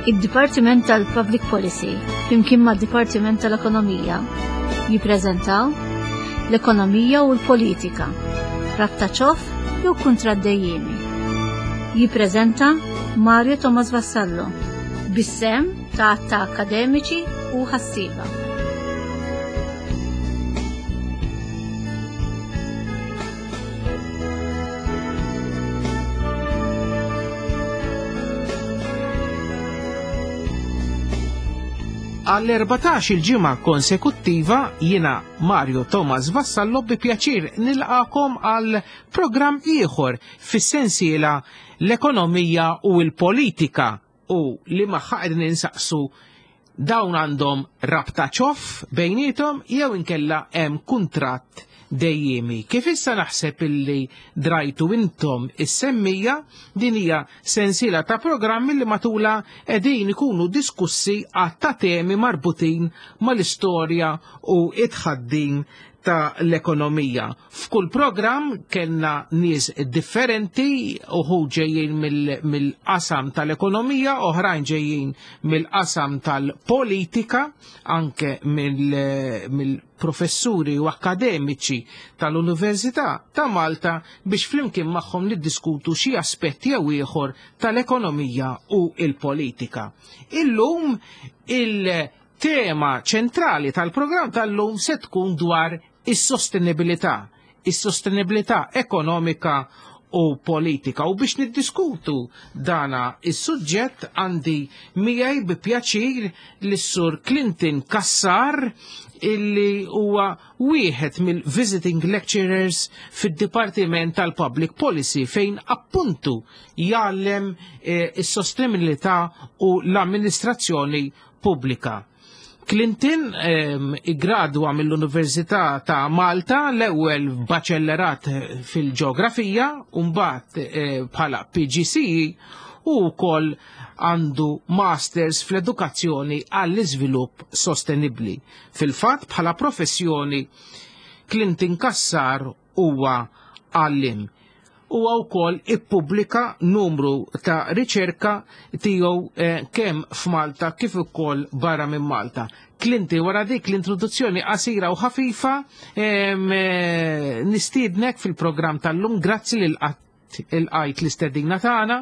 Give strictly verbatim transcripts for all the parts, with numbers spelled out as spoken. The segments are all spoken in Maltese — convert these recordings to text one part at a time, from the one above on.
Id-Dipartiment tal-Public Policy flimkien mad-Dipartiment tal-Ekonomija jippreżentaw l-ekonomija u l-politika, rabta ċoff jew kuntratt dejjiemi. Jippreżenta Mario Thomas Vassallo bis-sehem ta' ta' akademiċi u ħassieba. Għall-erbatax il-ġimgħa konsekuttiva jiena Mario Thomas Vassallo bi pjaċir nilqakom għal programm ieħor fis-sensiela l-ekonomija u l-politika u li magħha qegħdin insaqsu dawn għandhom rabta ċoff bejniethom jew inkella hemm kuntratt dejjemi. Kif issa naħseb illi drajtu intom is-semmija, din hija sensiela ta' programmi li matula qegħdin ikunu diskussi għadd ta' temi marbutin mal-istorja u it-tħaddim ta' l-ekonomija. F'kull programm kellna nies differenti, uħu ġejjin mill-qasam tal-ekonomija, oħrajn ġejjin mill-qasam tal-politika, anke mill-professuri u akademiċi tal-Università ta' Malta biex flimkien magħhom niddiskutu xi aspetti jew ieħor tal-ekonomija u l-politika. Illum il-tema ċentrali tal-programm tal-lum se tkun dwar is-sostenibilità, is-sostenibilità ekonomika u politika. U biex niddiskutu dana is-suġġett għandi miegħi bi pjaċir lis-Sur Clinton Cassar illi huwa wieħed mill-visiting lecturers fid-Dipartiment tal-Public Policy fejn appuntu jgħallem eh, is-sostenibilità u l-amministrazzjoni pubblika. Clinton ehm, iggradwa mill-Università ta' Malta l-ewwel baċellerat fil-ġeografija u mbagħad eh, bħala P G C E u wkoll għandu masters fl-edukazzjoni għall-iżvilupp sostenibbli. Fil-fatt bħala professjoni Clinton Cassar huwa għallim. Huwa wkoll ippubblika numru ta' riċerka tiegħu, eh, kemm f'Malta kif ukoll barra minn Malta. Clinton, wara dik l-introduzzjoni qasira u ħafifa, em, eh, nistiednek fil-programm tal-lum, grazzi lil qatt il-qajt l-istedina tagħna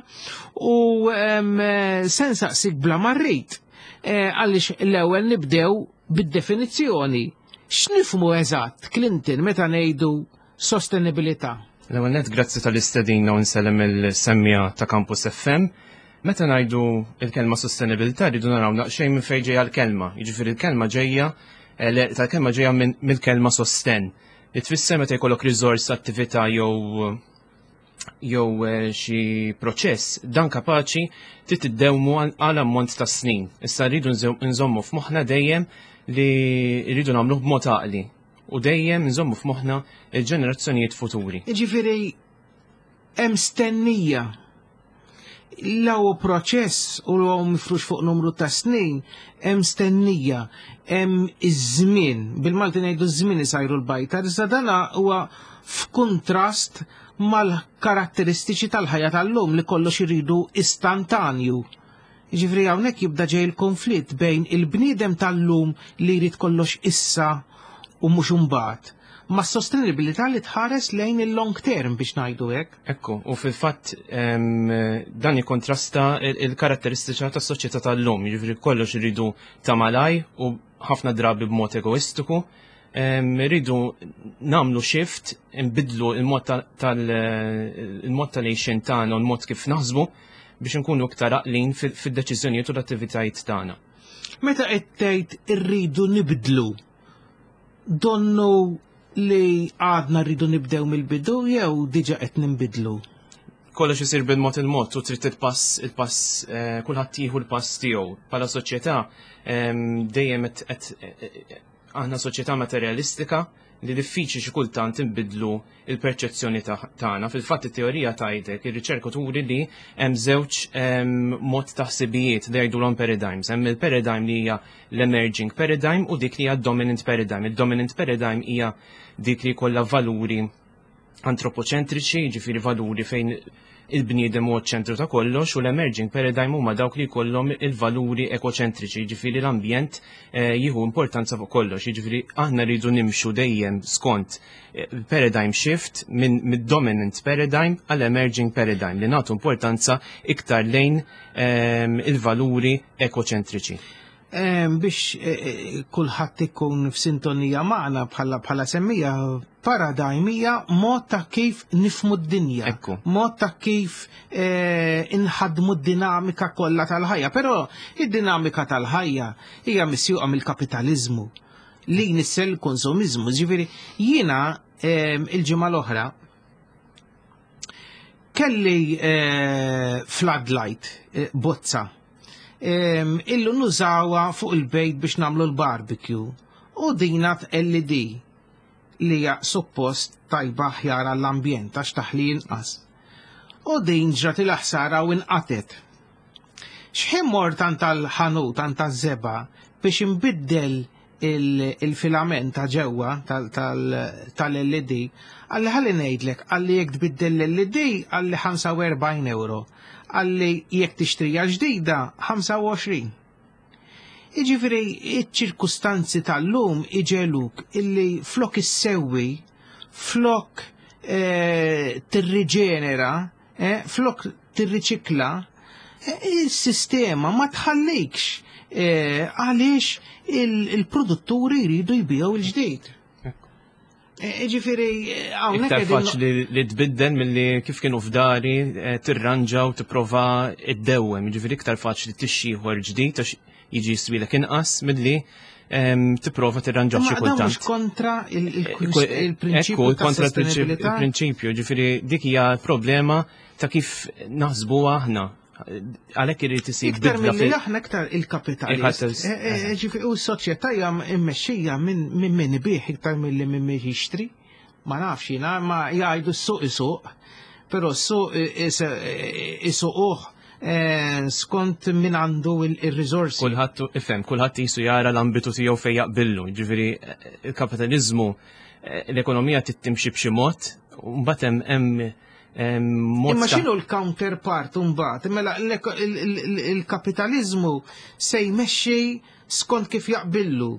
u, em, eh, se nsaqsik bla marrit, eh, għaliex l-ewwel nibdew bid-definizzjoni. X'nifhmu eżatt, Clinton, meta ngħidu sostenibilità? L-ewwel nett grazzi tal-istedina u nsellem il-semmija ta' Campus F M. Meta ngħidu l-kelma sostenibilità rridu naraw naqxejn minn fejn ġejja l-kelma. Jiġifieri l-kelma ġejja, eh, le, tal-kelma ġejja minn, mill-kelma sosten. Li tfisser meta jkollok riżors, attività jew, jew, eh, xi proċess, dan kapaċi trid tiddewmu għal, għal ammont ta' snin. Issa rridu nżo-, nżommu f'moħħna dejjem li rridu nagħmluh b'mod għaqli u dejjem nżommu f'moħħna il-ġenerazzjonijiet futuri. Jiġifieri hemm stennija. L-ewwel proċess u l-ewwel mifrux fuq numru ta' snin, hemm stennija, hemm iż-żmien, bil-Malti ngħidu ż-żmien isajru l-bajta, iżda dana huwa f'kuntrast mal-karatteristiċi tal-ħajja tal-lum li kollox iridu istantanju. Jiġifieri hawnhekk jibda ġej il-konflitt bejn il-bniedem tal-lum li jrid kollox issa u mhux imbagħad, ma' sostenibilità li tħares lejn il-long term biex ngħidu hekk. Ekku, u fil-fatt, em, dan jikkontrasta il-, il-karatteristiċa tas-soċjetà tal-lum, jiġifieri kollox iridu ta' malaj u ħafna drabi b'mod egoistiku. Em, irridu nagħmlu shift, nbidlu il-mod ta-, tal-, il-mod tal-għixien tagħna u l-mod kif naħsbu biex nkunu iktar għaqlin fil-, fid-deċiżjonijiet u l-attivitajiet tagħna. Meta qed tgħid irridu nibdlu, donnu li għadna rridu nibdew mill-bidu jew diġà qed ninbidlu? Kollox isir bil-mod il-mod u trid il-pass, il-pass, eh, kulħadd jieħu l-pass tiegħu. Bħala soċjetà, ehm, dejjem qed, qed, eh, aħna soċjetà materjalistika li diffiċli xi kultant inbidlu il-perċezzjoni ta-, tagħna. Fil-fatt it-teorija tgħidlek, ir-riċerka turi li hemm żewġ, ehm, mod ta' ħsibijiet li jgħidulhom paradigms. Hemm il-paradigm li hija l-emerging paradigm u dik li hija dominant paradigm. Il-dominant paradigm hija dik li jkollha valuri antropoċentriċi, jiġifieri valuri fejn il-bniedem huwa ċentru ta' kollox, u l-emerging paradigm huma dawk li jkollhom il-valuri ekoċentriċi, jiġifieri l-ambjent eh, jieħu importanza fuq kollox, jiġifieri aħna rridu nimxu dejjem skont eh, paradigm shift minn mid-dominant paradigm għal emerging paradigm li nagħtu importanza iktar lejn ehm, il-valuri ekoċentriċi. Em, biex eh, eh, kulħadd ikun f'sintonija magħna bħala bħala semmija, paradigm hija mod ta' kif nifmu d-dinja. Ekku. Mod ta' kif eh, inħadmu d-dinamika kollha tal-ħajja. Però id-dinamika tal-ħajja hija misjuqa mill-kapitaliżmu li jnissel konsumiżmu. Ġifieri jiena em, il-ġimgħa l-oħra kelli eh, floodlight, eh, bozza. Em, illu nużawha fuq il-bejt biex namlu l-barbecue. U dina L E D li hija suppost tajba, aħjar għall-ambjent għax taħli inqas. U din ġrat il-ħsara u inqatet. Xħin mort għand tal-ħanut, għand taż-żebgħa biex inbiddel il- il-filament ta' ġewwa tal-L E D, qalli, "Ħalli ngħidlek," qalli, "jekk tbiddel l-L E D," qalli, "ħamsa u erbgħin euro. Qalli, "jekk tixtrija ġdida, ħamsa u għoxrin" Iġifiri, iċ-ċirkustanzi tal-lum iġegħluk illi flok issewwi, flok eh, tirriġenera, eh, flok tirriċikla, eh, il-sistema ma tħallikx eh, għaliex il-produtturi jridu jbiegħu il-ġdid. Eh, Ġifiri, hawnhekk Iktar qegħdin- faċli li tbiddel milli kif kienu f'dari eh, tirranġa u tipprova iddewwem. Ġifieri iktar faċli tixtri ieħor ġdid għax jiġi jiswilek inqas milli em, tipprova tirranġa xi Ma dawn mhux kultant. kontra il- il- Ekku, il-prinċipju ekku, ta' kontra il-prinċip- sostenibilità? il-prinċipju, ġifieri dik hija problema ta' kif naħsbu aħna. Għalhekk irid isir Iktar bidla mill-li fil- aħna, iktar il-kapitalist. Il-kapitalist. Eh, eh, Ġifieri u s-soċjetà hija mmexxija minn minn min ibigħ iktar milli minn min jixtri. Ma nafx jiena, ma jgħidu s-suq isuq, però s-suq isuquh eh, skont min għandu il-risorsi. Kulħadd ifhem, kulħadd jisu jara l-ambitu tiegħu fejn jaqbillu. Ġifieri eh, il-kapitaliżmu, eh, l-ekonomija tittimxi b'xi mod, u mbagħad hemm hemm hemm mod Imma ta' x'inhu l-counterpart mbagħad? Mela l-eko- il- il- il- il-kapitalizmu se jmexxi skont kif jaqbillu,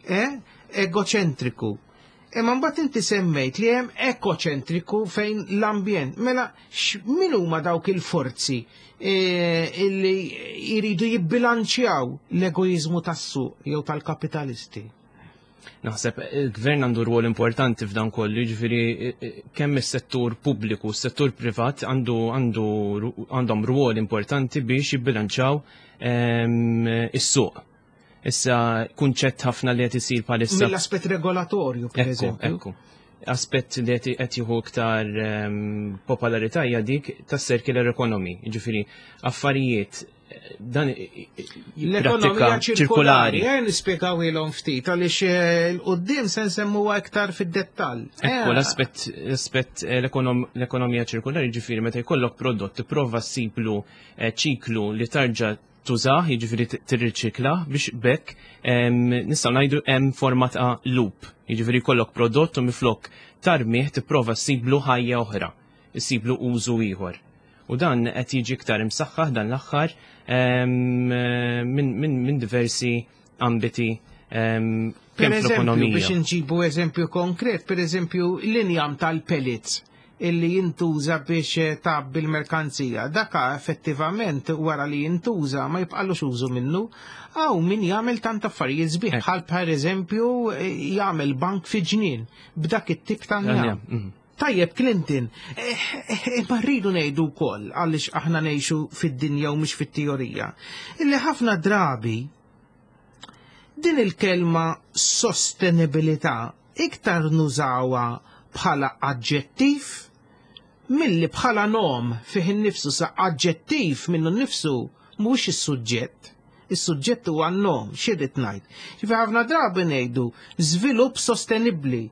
eh? Egoċentriku. Imma mbagħad inti semmejt li hemm ekoċentriku fejn l-ambjent. Mela min huma dawk il-forzi eh, illi jridu jibbilanċjaw l-egoizmu tas-suq jew tal-kapitalisti? Naħseb il-gvern għandu rwol importanti f'dan kollu, ġifieri eh, eh, kemm is-settur pubbliku, s-settur privat għandu għandu għandhom rwol importanti biex jibbilanċaw ehm, is-suq. Issa kunċett ħafna li qed isir bħalissa Mill-aspett regolatorju, per Ekku, eżempju. ekku. Aspett li qed qed jieħu iktar ehm, popolarità hija dik tas-circular economy, jiġifieri affarijiet eh, dan L-ekonomija ċirkolari, eh, nispjegaw ilhom ftit, għaliex eh, l-qoddim se nsemmuha iktar fid-dettall. Ekku, Eh, l-aspett l-aspett eh, l-ekonom- l-ekonomija ċirkolari, ġifieri meta jkollok prodott tipprova ssiblu eh, ċiklu li tarġa' tużah, jiġifieri t- tirriċikla biex bekk em, nistgħu ngħidu hemm forma ta' loop. Jiġifieri jkollok prodott u miflok tarmih tipprova ssiblu ħajja oħra, issiblu użu ieħor. U dan qed jiġi iktar imsaħħaħ dan l-aħħar em, minn min, min diversi ambiti em, Per kemm eżempju, fl-ekonomija. biex nġibu eżempju konkret, per eżempju, l-injam tal-pellets illi jintuża biex eh, tgħabbi l-merkanzija. Daka effettivament wara li jintuża ma jibqallux użu minnu. Għaw min jagħmel tant affarijiet sbieħ, Ekk. bħal per eżempju eh, jagħmel bank fi ġnien b'dak it-tip ta' njam. Mhm. Tajjeb, Clinton, eh, eh, ma rridu ngħidu wkoll, għaliex aħna ngħixu fid-dinja u mhux fit-teorija, illi ħafna drabi din il-kelma sostenibilità iktar nużawha bħala aġġettiv milli bħala nom fih innifsu, sa aġġettiv minnu nnifsu mhuwiex is-suġġett. Is-suġġett huwa n-nom, x'irrid ngħid? Ġifi ħafna drabi ngħidu żvilupp sostenibbli,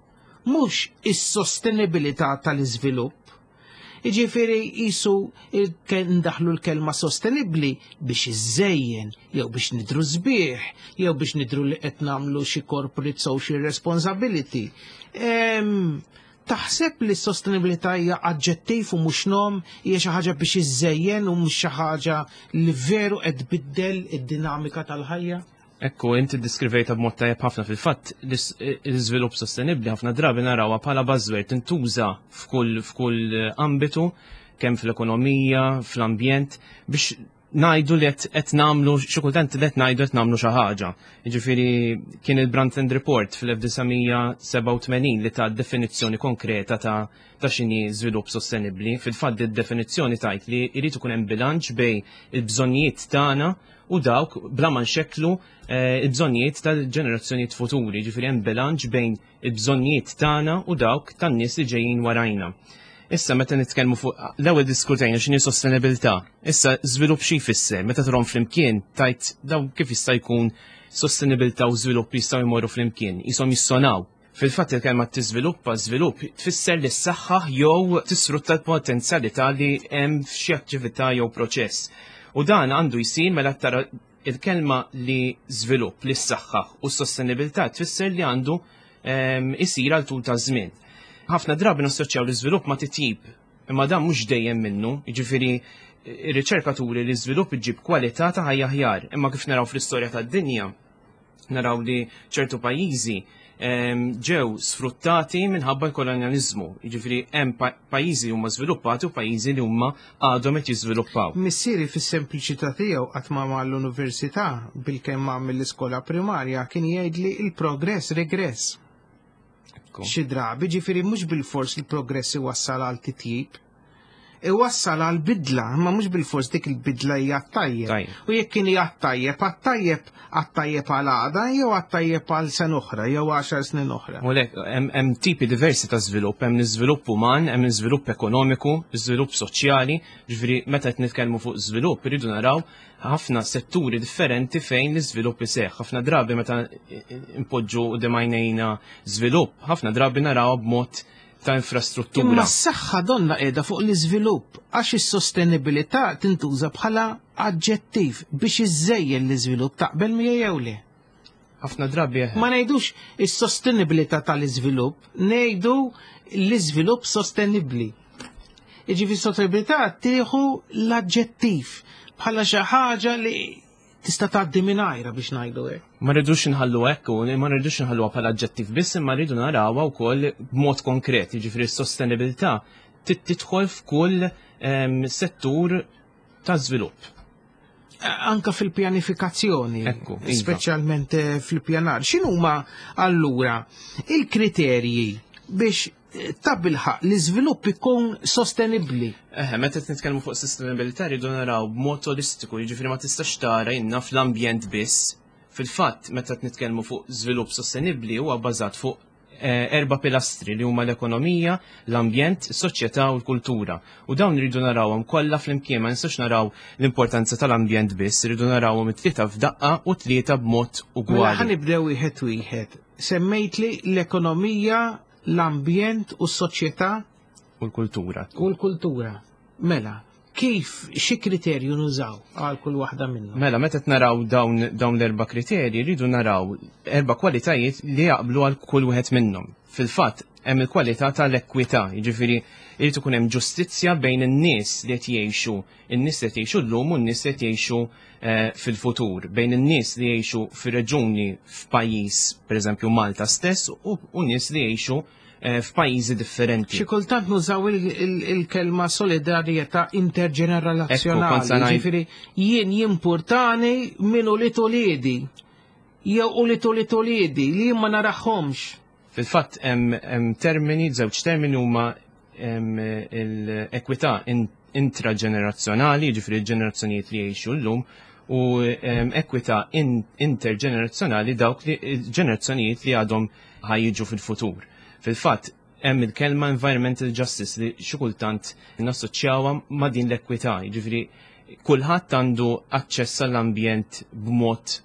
mhux is-sostenibilità tal-iżvilupp. Iġifieri jisu ndaħlu l-kelma sostenibbli biex iżejjen, jew biex nidru sbieħ, jew biex nidru li qed nagħmlu xi corporate social responsibility. Em, Taħseb li s-sostenibilità hija aġġettiv u mhux nom, hija xi ħaġa biex iżżejjen u mhux xi ħaġa li veru qed tbiddel id-dinamika tal-ħajja? Ekku, inti ddiskrivejtha b'mod tajjeb ħafna. Fil-fatt, l-iżvilupp sostenibbli ħafna drabi narawha bħala buzzword, tintuża f'kull f'kull ambitu, kemm fl-ekonomija, fl-ambjent, biex ngħidu li qed nagħmlu, xi kultant li qed ngħidu qed nagħmlu xi ħaġa. Jiġifieri kien il-Brundtland Report fl-elf disa' mija sebgħa u tmenin li ta definizzjoni konkreta ta' ta' x'inhi żvilupp sostenibbli. Fil-fatt, id-definizzjoni tgħid li jrid ikun hemm bilanċ bejn il-bżonnijiet tagħna u dawk bla ma nxekklu eh, il-bżonnijiet tal-ġenerazzjonijiet futuri, ġifieri hemm bilanċ bejn il-bżonnijiet tagħna u dawk tan-nies li ġejjin warajna. Issa meta nitkellmu fuq, l-ewwel diskutejna x'inhi sostenibilità. Issa żvilupp xi jfisser? Meta trom flimkien tajt daw kif jista' jkun sostenibilità u żvilupp jistgħu jmorru flimkien, qishom jissonaw. Fil-fatt, il-kelma tiżviluppa, żvilupp, tfisser li ssaħħaħ jew tisfrutta l-potenzjalità li hemm f'xi attività jew proċess. U dan għandu jsir, mela tara il-kelma li żvilupp, li ssaħħaħ u s-sostenibilità tfisser li għandu ehm, isir għal tul ta' żmien. Ħafna drabi nassoċjaw l-iżvilupp ma' titjib, imma dan mhux dejjem minnu, jiġifieri ir-riċerkaturi li żvilupp iġib kwalità ta' ħajja aħjar, imma kif naraw fl-istorja tad-dinja, naraw li ċertu pajjiżi em, ġew sfruttati minħabba l-kolonjalizmu. Jiġifieri hemm pa- pajjiżi huma żviluppati u pajjiżi li huma għadhom qed jiżviluppaw. Missieri, fis-sempliċità tiegħu, qatt ma mal-università, bilkemm għamel l-iskola primarja, kien jgħid li il-progress regress. Ekku. Xi drabi, ġifieri mhux bil-fors il-progress iwassal għal titjib. Iwassal għal bidla, ma mhux bil-fors dik il-bidla hija tajjeb. Tajjeb. U jekk kien hija tajjeb, għat-tajjeb għat-tajjeb għal għada jew għat-tajjeb għal sena oħra jew għaxar snin oħra? U lek, hemm hemm tipi diversi ta' żvilupp, hemm l-iżvilupp uman, hemm l-iżvilupp ekonomiku, iżvilupp soċjali, ġifieri meta qed nitkellmu fuq żvilupp irridu naraw ħafna setturi differenti fejn l-iżvilupp iseħħ. Ħafna drabi meta impoġġu quddiem għajnejna żvilupp, ħafna drabi naraw b'mod ta' infrastruttura. Imma s-saħħa donna qiegħda fuq l-iżvilupp, għax is-sostenibilità tintuża bħala aġġettiv biex iżejjen l-iżvilupp. Taqbel miegħi jew le? Ħafna drabi eħe. Ma ngħidux is-sostenibilità tal-iżvilupp, ngħidu l-iżvilupp sostenibbli. Jiġifieri sostenibilità tieħu l-aġġettiv bħala xi ħaġa li tista' tgħaddi mingħajra, biex ngħidu hekk. Ma rridux nħallu hekk u ma rridux nħalluha bħala aġġettiv biss, imma rridu narawha wkoll b'mod konkret, jiġifieri s-sostenibilità tit- tidħol f'kull em, settur ta' żvilupp. Anka fil-pjanifikazzjoni, Ekku, iva. speċjalment eh, fil-pjanar. X'inhuma allura il-kriterji biex eh, tabilħaq l-iżvilupp ikun sostenibbli? Eħe, meta qed nitkellmu fuq sostenibilità rridu naraw b'mod holistiku, jiġifieri ma tistax tara inna fl-ambjent biss. Fil-fatt, meta qed nitkellmu fuq żvilupp sostenibbli huwa bbażat fuq eh, erba' pilastri li huma l-ekonomija, l-ambjent, is-soċjetà u l-kultura. U dawn rridu narawhom kollha flimkien, ma nistax naraw l-importanza tal-ambjent biss, rridu narawhom it-tlieta f'daqqa u tlieta b'mod Mela ħa ugwali. nibdew wieħed wieħed. Semmejt li l-ekonomija, l-ambjent u s-soċjetà U l-kultura. U l-kultura. Mela, kif, xi kriterju nużaw għal kull waħda minnhom? Mela, meta qed naraw dawn, dawn l-erba' kriterji, rridu naraw erba' kwalitajiet li jaqblu għal kull wieħed minnhom. Fil-fatt, hemm il-kwalità tal-ekwità, jiġifieri jrid ikun hemm ġustizzja bejn in-nies li qed jgħixu, in-nies li qed jgħixu llum u n-nies li qed jgħixu eh, fil-futur, bejn in-nies li jgħixu fir-reġuni f'pajjiż, pereżempju Malta stess, u, u nies li jgħixu eh, f'pajjiżi differenti. Xi kultant nużaw il- il- il-kelma solidarjetà Ekku, kont interġenerazzjonali. se ngħid- Ġifieri jien jimpurtani minn ulied uliedi jew ulied ulied uliedi li jien ma narahomx. Fil-fatt hemm hemm termini, żewġ termini huma hemm l-ekwità in- intraġenerazzjonali, jiġifieri l-ġenerazzjonijiet li jgħixu llum, u em, ekwità in- interġenerazzjonali, dawk li ġenerazzjonijiet li għadhom ħa jiġu fil-futur. Fil-fatt, hemm il-kelma environmental justice li xi kultant nassoċjawha ma' din l-ekwità, jiġifieri kulħadd għandu aċċess għall-ambjent b'mod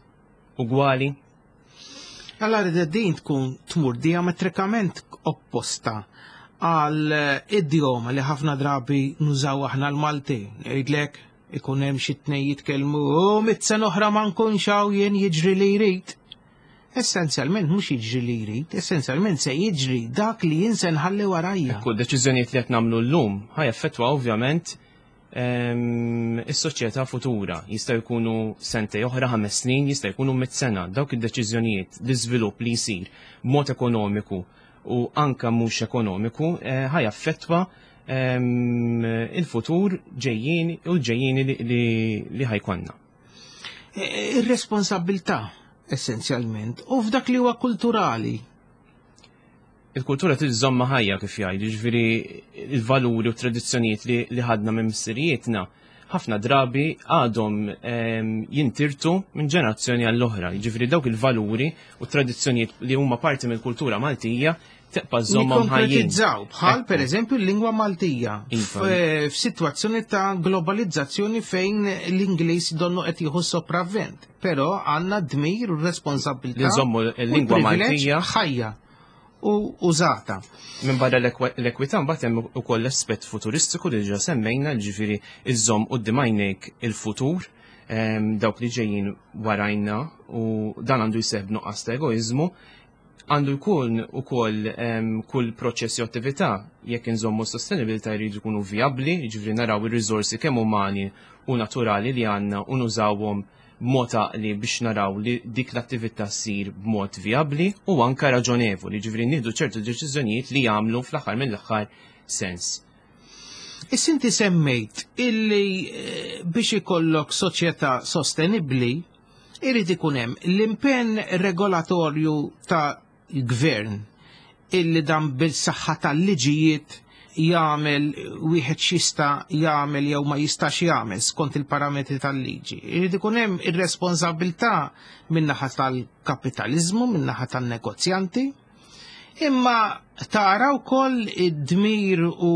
ugwali. Allora din tkun tmur diametrikament opposta għal idjoma li ħafna drabi nużaw aħna l-Malti. Ngħidlek ikun hemm xi tnejn jitkellmu, "U mitt sena oħra ma nkunx hawn jien, jiġri li jrid." Essenzjalment mhux jiġri li jrid, essenzjalment se jiġri dak li jien se nħalli warajja. Ekku, deċiżjonijiet li qed nagħmlu llum ħa jaffettwa ovvjament ehm, is-soċjetà futura. Jista' jkunu sentejn oħra, ħames snin, jista' jkunu mitt sena. Dawk id-deċiżjonijiet, l-iżvilupp li jsir b'mod ekonomiku u anka mhux ekonomiku eh, ħa jaffettwa ehm, il-futur ġejjieni u l-ġejjieni li, li, li ħa jkollna. E, Ir-responsabilità essenzjalment u f'dak li huwa kulturali. Il-kultura tiżżomma ħajja, kif jgħidu, ġifieri il-valuri u tradizzjonijiet li, li ħadna minn missirijietna ħafna drabi għadhom em, jintirtu minn ġenerazzjoni għall-oħra. Ġifieri dawk il-valuri u tradizzjonijiet li huma parti mill-kultura Maltija tibqa' żommhom ħajjin. Nikkonkretizzaw bħal Ekku. per eżempju l-lingwa Maltija Iva. f- f'sitwazzjoni ta' globalizzazzjoni fejn l-Ingliż donnu qed jieħu sopravvent. Però għandna dmir u responsabilità Li nżommu u l-lingwa l-privileġġ Maltija. ħajja u użata. Minn barra l-ekwe- l-ekwità mbagħad hemm ukoll l-aspett futuristiku li ġa semmejna, ġifieri iżżomm quddiem għajnejk il-futur, em, dawk li ġejjin warajna, u dan għandu jseħħ b'nuqqas ta' egoiżmu. Għandu jkun ukoll em, kull proċess jew attività, jekk inżommu sostenibilità, jridu jkunu vijabbli, jiġifieri naraw ir-riżorsi kemm umani u naturali li għandna u nużawhom b'mod għaqli biex naraw li dik l-attività ssir b'mod vijabbli u anka raġonevoli, ġifieri nieħdu ċertu deċiżjonijiet li jagħmlu fl-aħħar mill-aħħar sens. Issa inti semmejt illi eh, biex ikollok soċjetà sostenibbli irid ikun hemm l-impenn regolatorju ta' gvern illi dan bil-saħħa tal-liġijiet jagħmel wieħed x'jista' jagħmel jew ma jistax jagħmel skont il-parametri tal-liġi. Irid ikun hemm ir-responsabilità min-naħa tal-kapitaliżmu, min-naħa tan-negozjanti, imma tara wkoll id-dmir u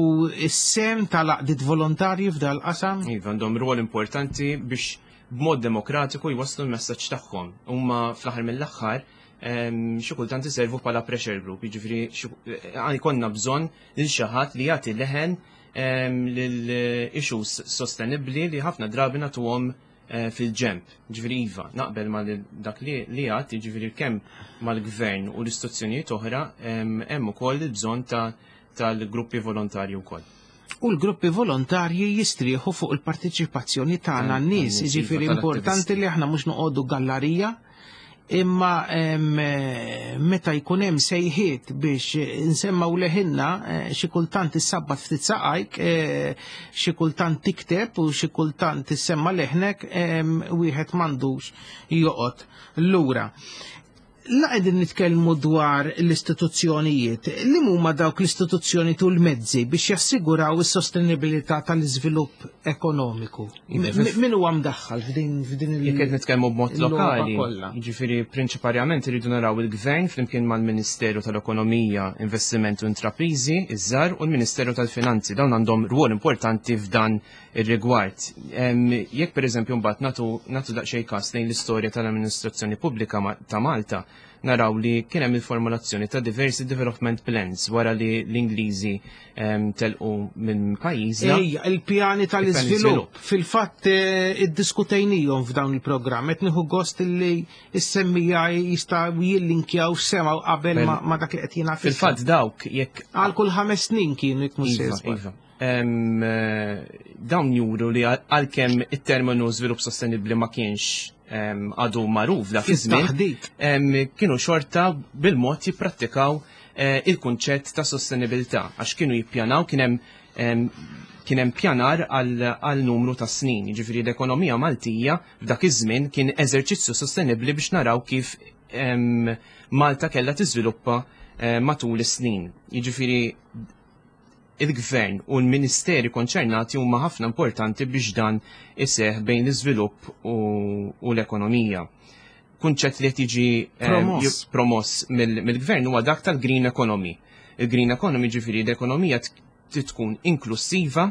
s-sehem tal-għaqdiet volontarji f'dal qasam. Iva, għandhom rwol importanti biex b'mod demokratiku jwasslu l-messaġġ tagħhom. Huma fl-aħħar mill-aħħar em, xi kultant iservu bħala pressure group, jiġifieri xi- eh, jkollna bżonn lil xi ħadd li jagħti leħen em, lil issues sostenibbli li ħafna drabi nagħtuhom eh, fil-ġemp. Ġifieri iva, naqbel ma dak li li għad, ġifieri kemm mal-gvern u l-istituzzjonijiet oħra em, hemm ukoll il-bżonn ta' tal-gruppi volontarji wkoll. U l-gruppi volontarji jistrieħu fuq il-partiċipazzjoni tagħna Tan- n-nies, tan-nies, iva, jiġifieri importanti tal-attivisti. li aħna mhux noqogħdu gallarija, imma em, eh, meta jkun hemm sejħiet biex nsemmaw leħinna, eh, xi kultant issabbat ftit saqajk, eh, xi kultant tikteb u xi kultant issemma leħnek, em, wieħed m'għandux joqgħod lura. La qegħdin nitkellmu dwar l-istituzzjonijiet, li huma dawk l-istituzzjoni tul mezzi biex jassiguraw is-sostenibilità tal-iżvilupp ekonomiku? Iva, M- Min huwa mdaħħal f'din f'din il- Jekk qed nitkellmu b'mod il-logħba lokali, kollha? jiġifieri prinċiparjament irridu naraw il-Gvern flimkien mal-Ministeru tal-Ekonomija, Investiment u Intrapriżi, iż-żar, u l-Ministeru tal-Finanzi. Dawn għandhom rwol importanti f'dan ir-rigward. Em, Jekk pereżempju mbagħad nagħtu nagħtu daqsxejn każ lejn l-istorja tal-amministrazzjoni pubblika ma- ta' Malta, naraw li kien hemm il-formulazzjoni ta' diversi development plans wara li l-Ingliżi em, telqu minn pajjiżna. Ejja, il-pjani tal-iżvilupp. iżvilupp. Fil-fatt eh, iddiskutejnihom f'dawn il-programm, qed nieħu gost li s-semmija jistgħu jillinkjaw semgħu qabel Bel- ma ma dak li qed jingħad. Fil-fatt dawk jekk Għal kull ħames snin kienu, jekk mhux Iva, se żball. iva. Em, eh, dawn juru li għal- għalkemm it-terminu żvilupp sostenibbli ma kienx em, għadu magħruf dak iż-żmien, Fit-taħdit. em, kienu xorta bil-mod jipprattikaw eh, il-kunċett ta' sostenibilità għax kienu jippjanaw, kien hemm em, kien hemm pjanar għal għal numru ta' snin. Jiġifieri l-ekonomija Maltija f'dak iż-żmien kien eżerċizzju sostenibbli biex naraw kif em, Malta kellha tiżviluppa eh, matul is-snin. Jiġifieri il-gvern u l-ministeri konċernati huma ħafna importanti biex dan iseħ bejn l-iżvilupp u, u l-ekonomija. Kunċett li qed jiġi eh, Promoss. ju- promoss mill- mill-gvern huwa dak tal-green economy. Il-green economy, ġifieri l-ekonomija t- tkun inklusiva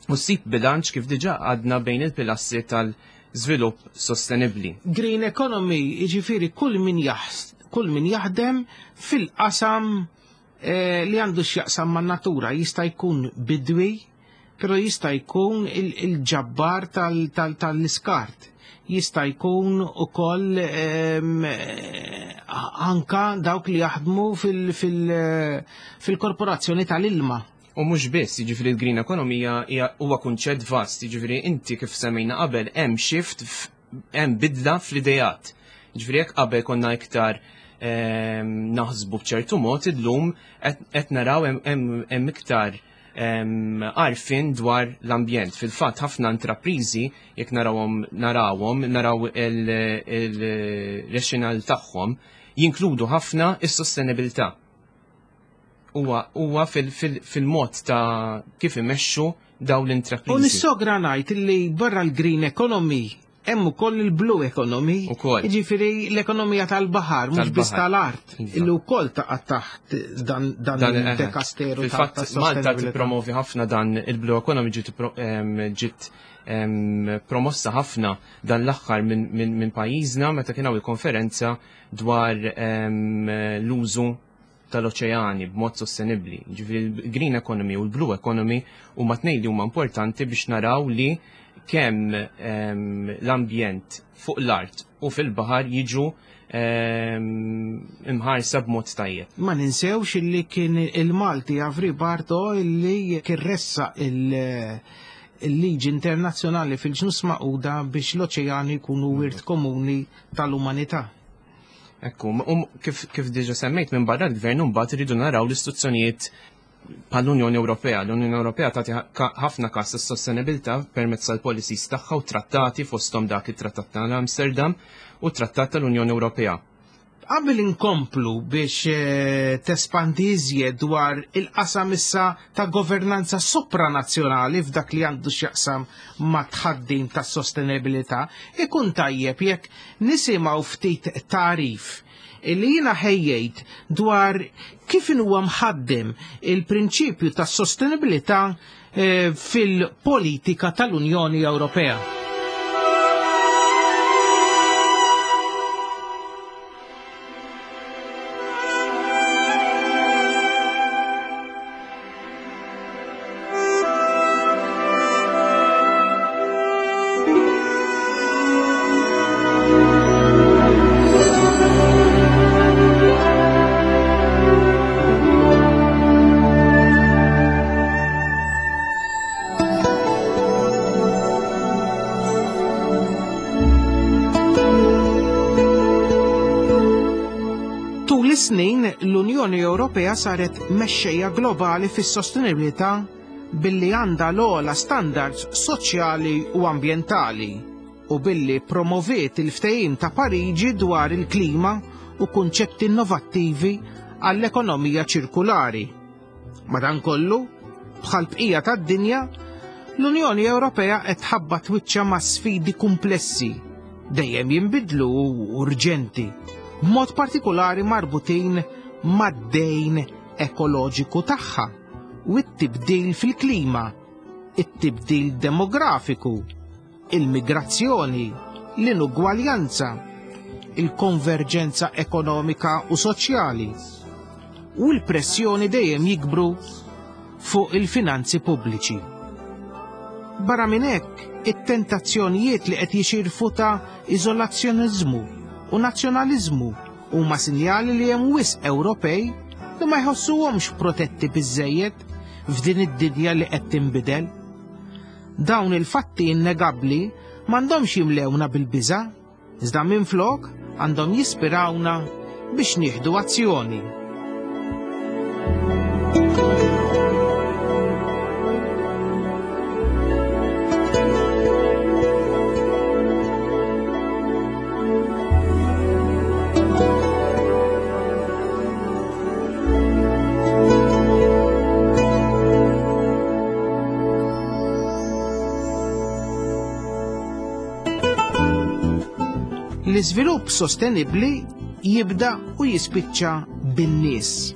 u ssib bilanċ, kif diġà għadna, bejn il-pilastri tal-żvilupp sostenibbli. Green economy, jiġifieri kull min jaħs, kull min jaħdem fil-qasam eh, li għandu x'jaqsam man natura, jista' jkun bidwi, Però jista' jkun il-ġabbar tal-iskart, jista' jkun ukoll anka dawk li jaħdmu fil-korporazzjoni tal-ilma. U mhux biss, jiġifieri l-green economy huwa kunċett vast, jiġifieri inti kif semmejna qabel hemm shift, hemm bidla fl-idejat. Jiġifieri jekk qabel konna iktar naħsbu b'ċertu mod, illum qed naraw hemm iktar għarfien dwar l-ambjent. Fil-fatt ħafna intrapriżi jekk narawhom narawhom naraw il-rationale tagħhom jinkludu ħafna is-sostenibilità. Huwa huwa fil-mod ta' kif imexxu dawn l-intrapriżi. U nissogra ngħid li barra l-green economy hemm ukoll il-blue economy, jiġifieri l-ekonomija tal-baħar, mhux biss tal-art, illi wkoll taqa' taħt dan il-dekasteru. Fil-fatt Malta tippromovi ħafna dan il-blue economy, ġiet promossa ħafna dan l-aħħar minn pajjiżna meta kien hawn il-konferenza dwar l-użu tal-oċeani b'mod sostenibbli. Ġifieri l-green economy u l-blue economy huma tnejn li huma importanti biex naraw li kemm l-ambjent fuq l-art u fil-baħar jiġu imħarsa b'mod tajjeb. Ma ninsewx illi kien il-Malti Avri Barto illi kien ressa il-liġi internazzjonali fil-Ġnus Magħquda biex l-oċeani jkunu wirt komuni tal-umanità. Ekku, kif, kif diġa semmejt minn barra l-gvern mbagħad iridu naraw l-istituzzjonijiet bħall-Unjoni Ewropea. L-Unjoni Ewropea tagħti ħafna każ is-sostenibilità permezz tal-policies tagħha u trattati fosthom dak it-Trattat tal-Amsterdam u t-Trattat tal-Unjoni Ewropea. Qabel inkomplu biex tespandi iżjed dwar il-qasam issa ta' governanza sopranazzjonali f'dak li għandu x'jaqsam ma' tħaddim tas sostenibilità, ikun tajjeb jekk nisimgħu ftit tarif li jiena ħejjejt dwar kif huwa mħaddem il-prinċipju tas sostenibilità fil-politika tal-Unjoni Ewropea. Snin l-Unjoni Ewropea saret mexxejja globali fis-sostenibilità billi għandha l-ogħla standards soċjali u ambjentali u billi promoviet il-ftehim ta' Pariġi dwar il-klima u kunċetti innovattivi għall-ekonomija ċirkulari. Madankollu, bħal bqija tad-dinja, l-Unjoni Ewropea qed tħabbat wiċċha ma' sfidi kumplessi dejjem jinbidlu u urġenti, b'mod partikolari marbutin mad-dejn ekoloġiku tagħha u t-tibdil fil-klima, it-tibdil demografiku, il-migrazzjoni, l-inugwaljanza, il-konverġenza ekonomika u soċjali u l-pressjoni dejjem jikbru fuq il-finanzi pubbliċi. Barra minn hekk, it-tentazzjonijiet li qed jixirfu ta' iżolazzjoniżmu u nazzjonaliżmu huma sinjali li hemm wisq Ewropej li ma jħossuhomx protetti biżżejjed f'din id-dinja li qed tinbidel. Dawn il-fatti innegabbli m'għandhomx jimlewna bil-biża', iżda minflok għandhom jispirawna biex nieħdu azzjoni. L-iżvilupp sostenibbli jibda u jispiċċa bin-nies.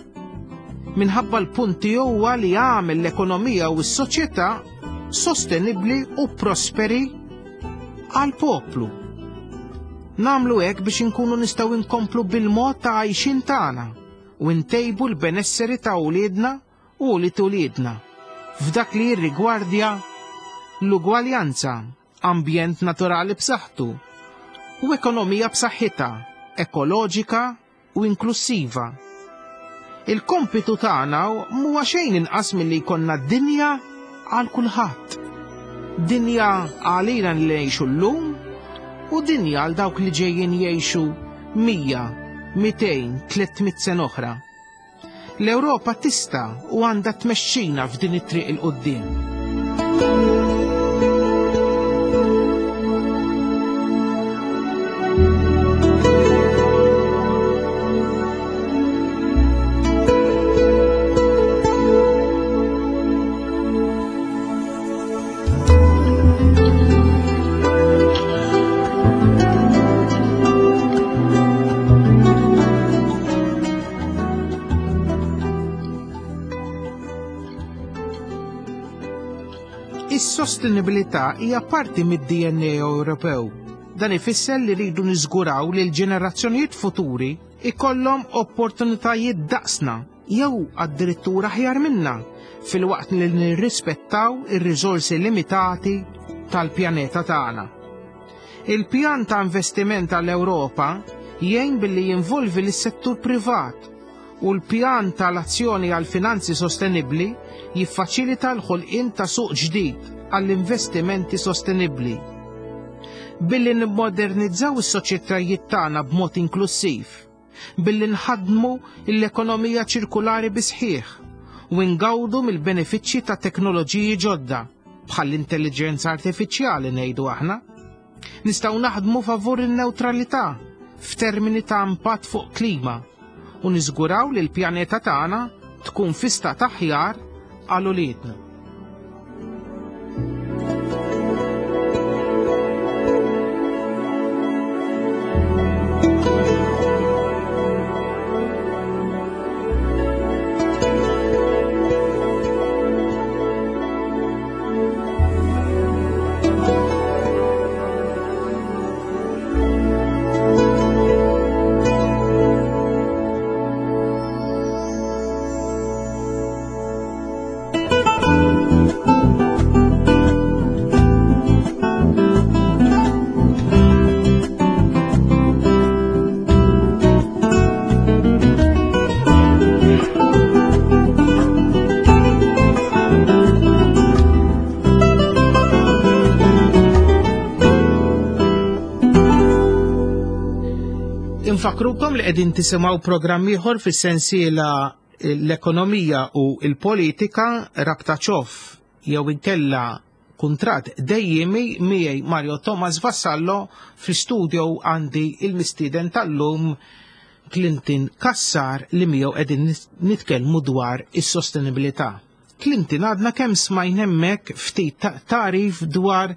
Minħabba l-punti huwa li jagħmel l-ekonomija u s-soċjetà sostenibbli u prosperi għal poplu. Nagħmlu hekk biex inkunu nistgħu nkomplu bil-mod ta' għajxin tagħna u ntejbu l-benesseri ta' wliedna u li tuliedna. f'dak li jirrigwardja l-ugwaljanza, ambjent naturali b'saħħtu u ekonomija b'saħħitha, ekoloġika u inklusiva. Il-kompitu tagħna mhuwa xejn inqas milli jkollna dinja għal kulħadd. Dinja għalina li ngħixu llum u dinja għal dawk li ġejjin jgħixu mija, mitejn, tliet mitt sena oħra. L-Ewropa tista' u għandha tmexxina f'din it-triq il quddiem. Is-sostenibilità hija parti mid-D N A Ewropew. Dan ifisser li rridu niżguraw li l-ġenerazzjonijiet futuri ikollhom opportunitajiet daqsna jew addirittura aħjar minna filwaqt li nirrispettaw ir-riżorsi limitati tal-pjaneta tagħna. Il-pjan ta' investiment għall-Ewropa jgħin billi jinvolvi lis-settur privat u l-pjan tal-azzjoni għal finanzi sostenibbli jiffaċilita l-ħolqien ta' suq ġdid għall-investimenti sostenibbli. Billi nimmodernizzaw is-soċjetajiet tagħna b'mod inklusiv, billi nħaddmu l-ekonomija ċirkulari bisħieħ u ngawdu mill-benefiċċji ta' teknoloġiji ġodda bħall-intelligenza artifiċjali ngħidu aħna. Nistgħu naħdmu favur in-newtralità f'termini ta' impatt fuq klima u niżguraw li l-pjaneta tagħna tkun fi stat aħjar għal uliedna. Infakrukom li qegħdin tisimgħu programm ieħor fis-sensiela l-ekonomija u l-politika rabta ċoff jew inkella kuntratt dejjemi miegħi Mario Thomas Vassallo. Fl-istudio għandi il-mistieden tal-lum Clinton Cassar li miegħu qegħdin nitkellmu dwar is-sostenibilità. Clinton, għadna kemm smajn hemmhekk ftit tarif dwar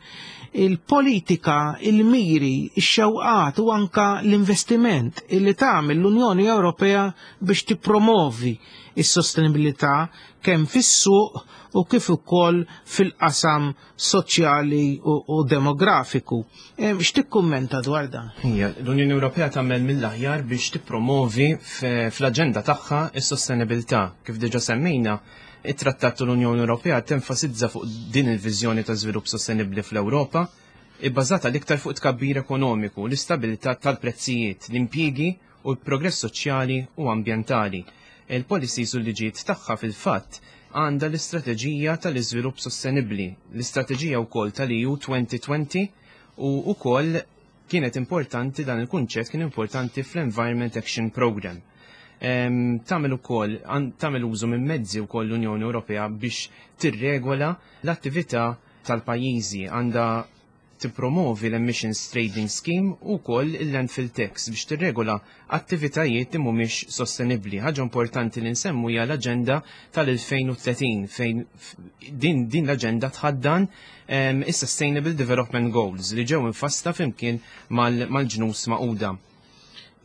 il-politika, il-miri, ix-xewqat u anka l-investiment illi tagħmel l-Unjoni Ewropea biex tippromovi is-sostenibilità kemm fis-suq u kif ukoll fil-qasam soċjali u, u demografiku. X'tikkummenta dwar dan? Ija, l-Unjoni Ewropea tagħmel mill-aħjar biex tippromovi fl-aġenda tagħha is-sostenibilità. Kif diġà semmejna, it-Trattat tal-Unjoni Ewropea tenfasizza fuq din il-viżjoni ta' żvilupp sostenibbli fl-Ewropa, ibbażata l-iktar fuq tkabbir ekonomiku, l-istabilità tal-prezzijiet, l-impjiegi u l-progress soċjali u ambjentali. Il-policies u l-liġijiet tagħha fil-fatt għandha l-istrateġija tal-iżvilupp sostenibbli, l-istrateġija wkoll tal-E U twenty twenty u wkoll kienet importanti, dan il-kunċett kien importanti fl-Environment Action Program. Em, tagħmel ukoll, għan-, tagħmel użu minn mezzi wkoll l-Unjoni Ewropea biex tirregola l-attività tal-pajjiżi, għandha tippromovi l-Emissions Trading Scheme u wkoll il-Landfill Tax biex tirregola attivitajiet li mhumiex sostenibbli. Ħaġa importanti li nsemmu hija l-aġenda tal-elfejn u tletin fejn din, din l-aġenda tħaddan, em, is-Sustainable Development Goals li ġew infassla flimkien mal-, mal-ġnus Magħquda.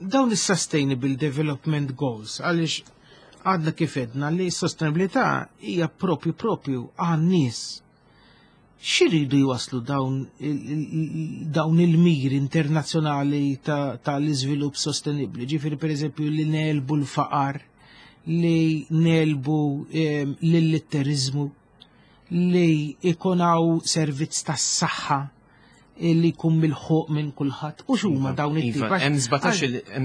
Dawn is-Sustainable Development Goals, għaliex għadna kif edna li s-sostenibilità hija propju propju għan-nies. X'iridu jwaslu dawn il-, il-, dawn il-miri internazzjonali ta-, tal-iżvilupp sostenibbli? Ġifieri pereżempju li nelbu l-faqar, li nelbu, ehm, l-illitteriżmu. li ikun hawn servizz tas-saħħa li jkun milħuq minn kulħadd. U x'huma dawn it-tip? Iva, hemm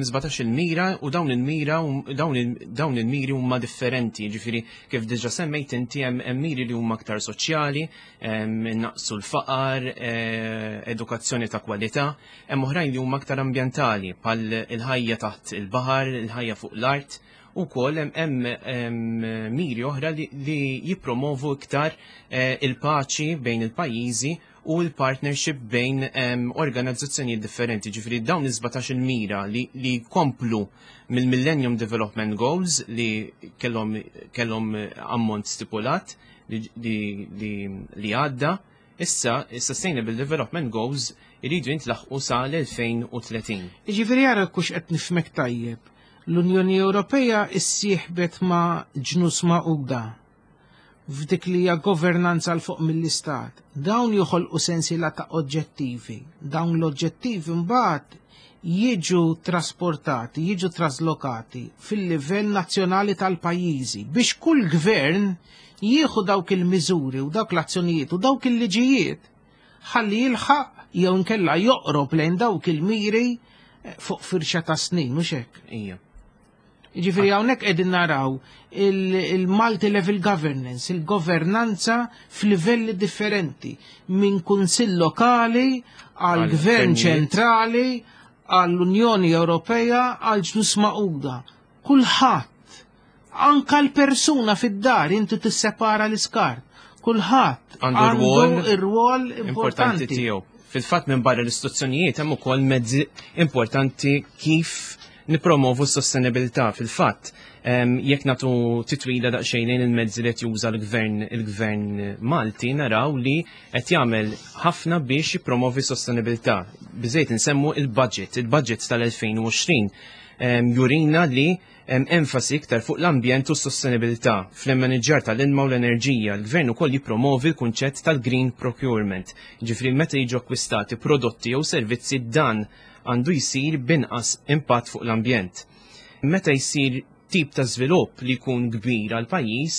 sbatax il-mira u dawn il-mira dawn il-miri huma differenti, ġifieri kif diġà semmejt inti hemm miri li huma aktar soċjali, naqsu l-faqar, edukazzjoni ta' kwalità, hemm oħrajn li huma aktar ambjentali bħal il-ħajja taħt il-baħar, il-ħajja fuq l-art. U kol hemm miri oħra li jippromovu iktar il-paċi bejn il-pajjiżi u l-partnership bejn organizzazzjonijiet differenti. Ġifieri dawn is-sbatax il-mira li komplu mill-Millennium Development Goals li kellhom ammont stipulat li għadda, issa Sustainable Development Goals iridu jintlaħqu sa l-elfejn u tletin. Ġifieri ara kux qed nifhmek tajjeb. L-Unjoni Ewropea issieħbet ma' Ġnus Magħquda f'dik li hija governanza l fuq mill-istat. Dawn joħolqu sensiela ta' oġġettivi. Dawn l-oġġettivi mbagħad jiġu trasportati, jiġu traslokati fil-livell nazzjonali tal-pajjiżi biex kull gvern jieħu dawk il-miżuri u dawk l-azzjonijiet u dawk il-liġijiet ħalli jilħaq jew inkella joqrob lejn dawk il-miri fuq firxa ta' snin, mhux hekk? Ija. Ġifieri hawnhekk qegħdin naraw il-multi-level governance, il-governanza f'livelli differenti, minn kunsill lokali għal gvern ċentrali, għall-Unjoni Ewropea, għal Ġnus Magħquda. Kulħadd, anka l-persuna fid-dar inti tissepara l-iskart, kulħadd għandu r-rwol importanti tiegħu. Fil-fatt minn barra l-istituzzjonijiet hemm ukoll mezzi importanti kif nipromovu s-sostenibilità. Fil-fatt, jekk nagħtu titwila daqsxejn lejn il-mezzi li qed juża l-gvern il-gvern Malti, naraw li qed jagħmel ħafna biex jippromovi s-sostenibilità. Biżejt insemmu il-budget, il-budget tal-elfejn u għoxrin jurina li enfasi iktar fuq l-ambjent u s-sostenibilità. Fl-immaniġġar tal-ilma u l-enerġija, l-gvern ukoll jippromovi l-kunċett tal-green procurement. Ġifieri meta jiġu akkwistati prodotti jew servizzi, dan għandu jsir binqas impatt fuq l-ambjent. Meta jsir tip ta' żvilupp li jkun kbir għal pajjiż,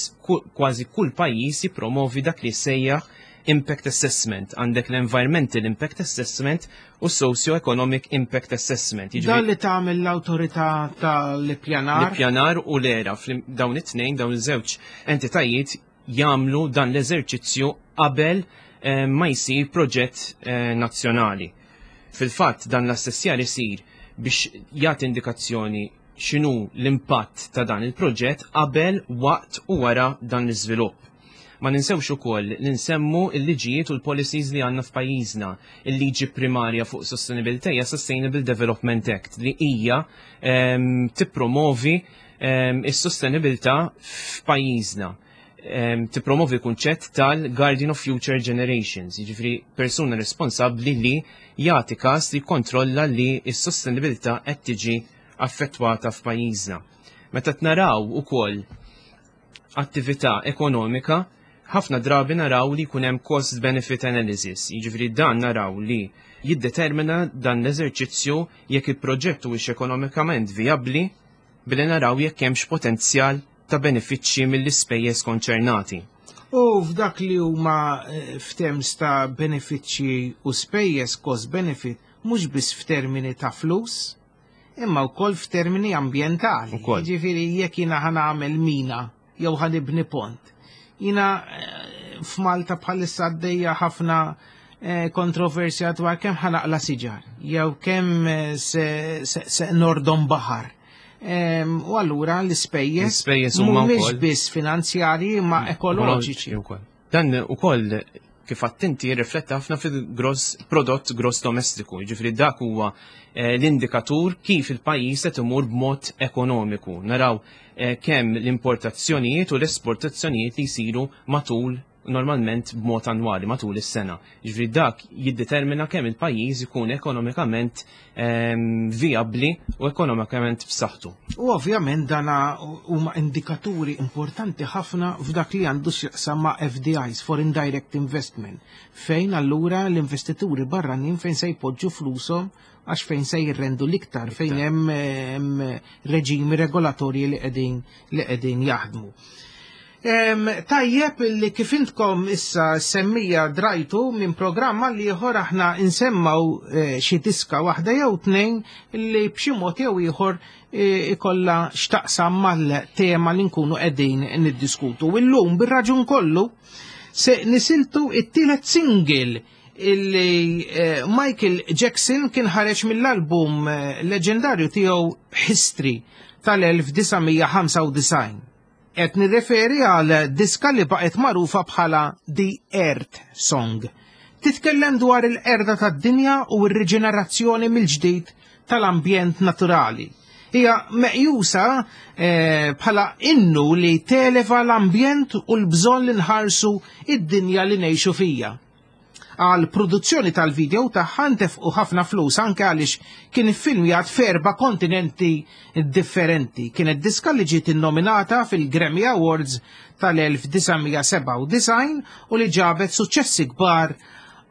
kważi kull pajjiż jippromovi dak li sejjaħ impact assessment. Għandek l-environmental impact assessment u socio-economic impact assessment. Dan li tagħmel l-awtorità tal-ippjanar? L-ippjanar u l-era, dawn it-tnejn, dawn iż-żewġ entitajiet jagħmlu dan l-eżerċizzju qabel ma jsir proġett nazzjonali. Fil-fatt dan l-assessjar isir biex jagħti indikazzjoni x'inhu l-impatt ta' dan il-proġett qabel, waqt u wara dan l-iżvilupp. Ma ninsewx ukoll li nsemmu l-liġijiet u l-policies li għandna f'pajjiżna. Il-liġi primarja fuq sostenibilità hija Sustainable Development Act li hija tippromovi is-sostenibilità f'pajjiżna. Tippromovi l-kunċett tal-Guardian of Future Generations, jiġifieri persuna responsabbli li jagħti każ li jikkontrolla li s-sostenibilità qed tiġi affettwata f'pajjiżna. Meta naraw ukoll attività ekonomika, ħafna drabi naraw li jkun hemm cost benefit analysis, jiġifieri dan naraw li jiddetermina dan l-eżerċizzju jekk il-proġett huwiex ekonomikament vijabbli billi naraw jekk hemmx potenzjal ta' benefiċċji mill-ispejjeż konċernati. U f'dak li huma f'terms ta' benefiċċji u spejjeż cost benefit, mhux biss f'termini ta' flus, imma wkoll f'termini ambjentali. Jiġifieri jekk jiena ħa nagħmel mina jew ħa nibni pont. Jiena f'Malta bħalissa għaddejja ħafna kontroversja dwar kemm ħa naqla siġar jew kemm se nordom baħar. U allura l-ispejjeż mhumiex biss finanzjarji ma ekoloġiċi. Dan ukoll kif attenti jirrifletta ħafna fil-gross prodott gross domestiku, jiġifieri dak huwa l-indikatur kif il-pajjiż qed imur b'mod ekonomiku. Naraw kemm l-importazzjonijiet u l-esportazzjonijiet li jsiru matul normalment b'mod annwali matul is-sena. Jiġifieri dak jiddetermina kemm il-pajjiż ikun ekonomikament vijabbli u ekonomikament b'saħħtu. U ovvjament dana huma indikaturi importanti ħafna f'dak li għandu x'jaqsam ma' F D Is, Foreign Direct Investment, fejn allura l-investituri barranin fejn se jpoġġu flushom għax fejn se jirrendu l-iktar, fejn hemm reġimi regolatorji li qegħdin li qegħdin jaħdmu. Tajjeb li kif intkom issa semmija drajtu minn programma li ieħor aħna insemmaw xi diska waħda jew tnejn li b'xi mod jew ieħor ikollha x'taqsam mal-tema li nkunu qegħdin niddiskutu. Illum bir-raġun kollu se nisiltu it-tielet single illi Michael Jackson kien ħareġ mill-album leġendarju tiegħu History tal-elf disa' mija ħamsa u disgħin. Qed nirreferi għal diska li baqgħet magħrufa bħala The Earth Song. Titkellem dwar il-qerda tad-dinja u r-riġenerazzjoni mill-ġdid tal-ambjent naturali. Hija meqjusa bħala innu li televa l-ambjent u l-bżonn li nħarsu id-dinja li ngħixu fija. Għal produzzjoni tal-video tagħha ntefqu ħafna flus anke għaliex kien iffilmjat f'erba' kontinenti differenti. Kienet diska li ġiet innominata fil-Grammy Awards tal-elf disa' mija sebgħa u disgħin u li ġabet suċċessi kbar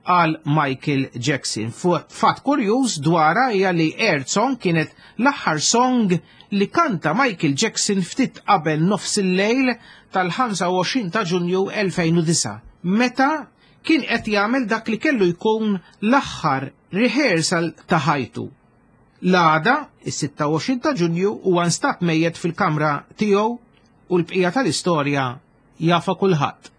għal Michael Jackson. Fatt kurjuż dwarha hija li Earth Song kienet l-aħħar song li kanta Michael Jackson ftit qabel nofs il-lejl tal-ħamsa u għoxrin ta' Ġunju elfejn u disa', meta kien qed jagħmel dak li kellu jkun l-aħħar rehearsal ta' ħajtu. L-għada, is-sitta u għoxrin ta' Ġunju, huwa nstab mejjet fil-kamra tiegħu u l-bqija tal-istorja jafa kulħadd.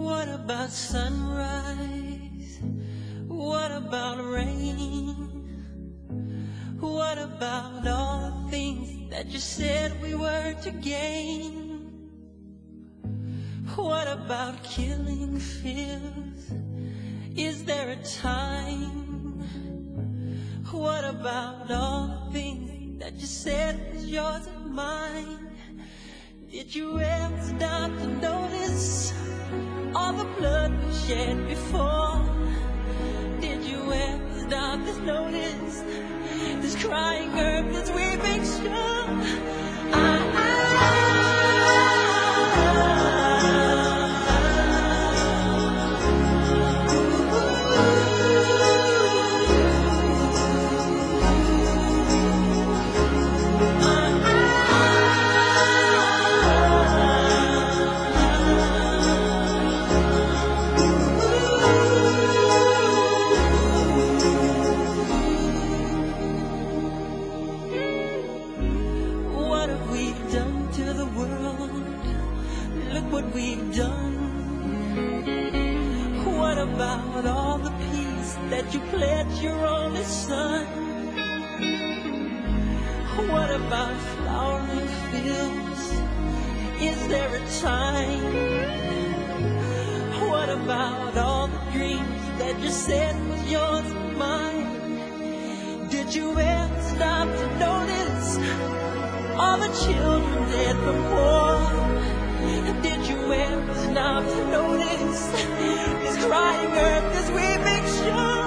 What about sunrise? What about rain? What about all the things that you said we were to gain? What about killing fears? Is there a time? What about all the things that you said was yours and mine? Did you ever stop to notice all the blood we shed before? Did you ever stop to notice this crying earth, this weeping shore? I, I, About all the peace that you pledged your only son? What about flowering fields? Is there a time? What about all the dreams that you said was yours and mine? Did you ever stop to notice all the children dead from war? Did you ever stop to notice this crying earth, this weeping shore?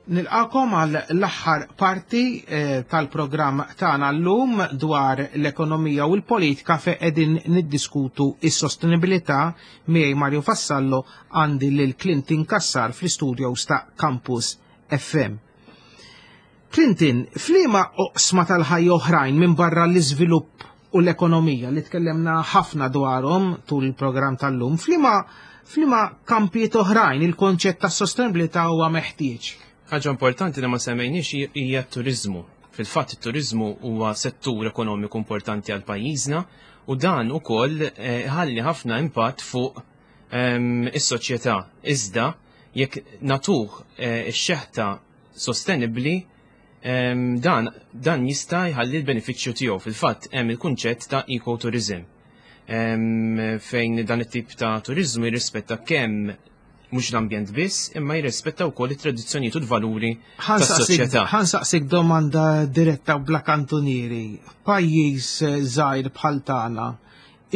Nilqakom għal l-aħħar parti eh, tal-programm tagħna llum dwar l-ekonomija u l-politika fejn qegħdin niddiskutu is-sostenibilità. Miegħi Mario Vassallo, għandi lil Clinton Cassar fl-istudios ta' Campus F M. Clinton, f'liema oqsma tal-ħajja oħrajn minn barra l-iżvilupp u l-ekonomija li tkellemna ħafna dwarhom tul il-programm tal-lum, f'liema f'liema kampijiet oħrajn il-konċett ta' sostenibilità huwa meħtieġ? Ħaġa importanti li ma semmejniex hija t-turizmu. Fil-fatt, it-turizmu huwa settur ekonomiku importanti għal pajjiżna u dan ukoll eh, ħalli ħafna impatt fuq ehm, is-soċjetà. Iżda jekk nagħtuh eh, ix-xeħta sostenibbli, ehm, dan dan jista' jħalli l-benefiċċju tiegħu. Fil-fatt, hemm il-kunċett ta' ecotourism, ehm, fejn dan it-tip ta' turizmu jirrispetta kemm mhux l-ambjent biss, imma jirrispetta wkoll it-tradizzjonijiet u l-valuri tas-soċjetà. Ħa nsaqsik domanda diretta u bla kantunieri. Pajjiż eh, żgħir bħal tagħna,